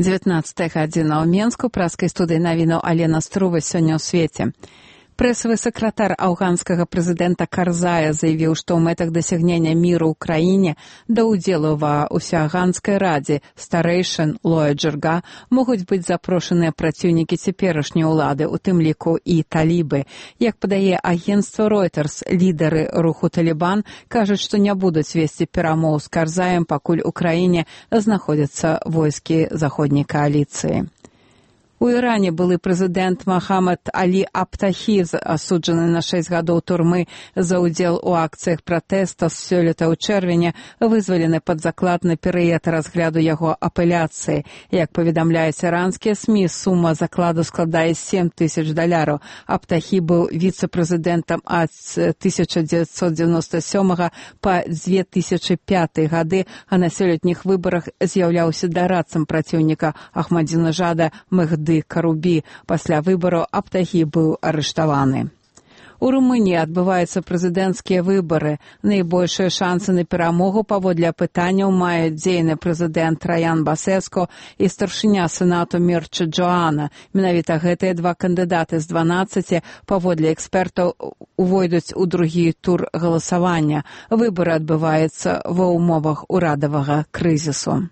19 гадзіна ў Менску, праскай студыі навінаў Алена Струва сёння ў свеце. Прэсавы сакратар афганскага прэзідэнта Карзая заявіў, што ў мэтах дасягнення міру ў краіне да ўдзелу ва ўсеафганскай радзе старэйшын Лоя Джырга могуць быць запрошаныя праціўнікі цяперашняй улады, у тым ліку і талібы. Як падае агенцтва Reuters, лідары руху Талібан кажуць, што не будуць весці перамоў з Карзаем, пакуль у краіне знаходзяцца войскі заходняй кааліцыі. У Іране былы прэзідэнт Мохаммад Алі Абтахі, асуджаны на 6 гадоў турмы за ўдзел у акцыях пратэста з сёлета ў чэрвені, вызвалены пад заклад на перыяд разгляду яго апеляцыі. Як паведамляюць іранскія СМІ, сума закладу складае $7,000. Абтахі быў віцэ-прэзідэнтам ад 1997 па 2005 гады, а на сёлетніх выбарах з'яўляўся дарадцам праціўніка Ахмадзінежада Мехды Карубі. Пасля выбараў Абтахі быў арыштаваны. У Румыніі адбываюцца прэзідэнцкія выбары. Найбольшыя шансы на перамогу паводле апытанняў маюць дзейны прэзідэнт Траян Басеску і старшыня сенату Мірча Джоана. Менавіта гэтыя два кандыдаты з 12, паводле экспертаў, увойдуць у другі тур галасавання. Выбары адбываюцца ва ўмовах урадавага крызісу.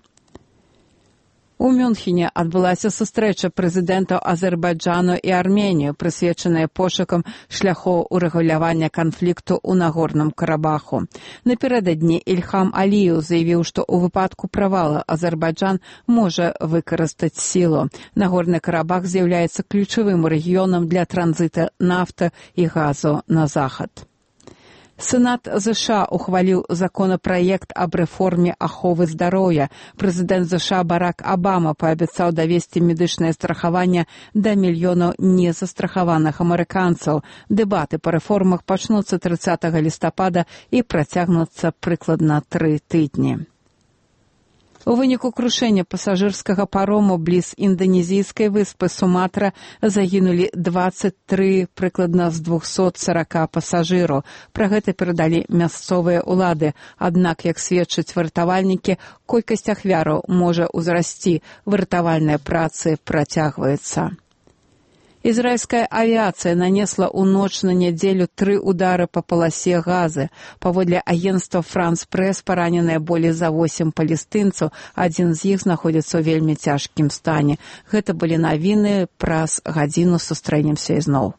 У Мюнхене адбылася сустрэча прэзідэнтаў Азербайджану і Арменіі, прысвечаная пошукам шляхоў урэгулявання канфлікту ў Нагорным Карабаху. Напярэдадні Ільхам Аліеў заявіў, што ў выпадку правала Азербайджан можа выкарыстаць сілу. Нагорны Карабах з'яўляецца ключавым рэгіёнам для транзіта нафты і газу на захад. Сенат США ухваліў законапраект аб рэформе аховы здароўя. Прэзідэнт США Барак Абама паабяцаў давесці медычнае страхаванне да мільёнаў незастрахаваных амерыканцаў. Дэбаты па рэформах пачнуцца 30 лістапада і працягнуцца прыкладна 3 тыдні. У выніку крушэння пасажырскага парому бліз інданезійскай выспы Суматра загінулі 23 прыкладна з 240 пасажыраў. Пра гэта перадалі мясцовыя ўлады. Аднак, як сведчаць выратавальнікі, колькасць ахвяраў можа ўзрасці. Выратавальныя працы працягваюцца. Ізраільская авіацыя нанесла ў ноч на нядзелю 3 удары па паласе Газы. Паводле агенцтва France Press параненыя болей за 8 палестынцаў, адзін з іх знаходзіцца ў вельмі цяжкім стане. Гэта былі навіны, праз гадзіну сустрэнемся ізноў.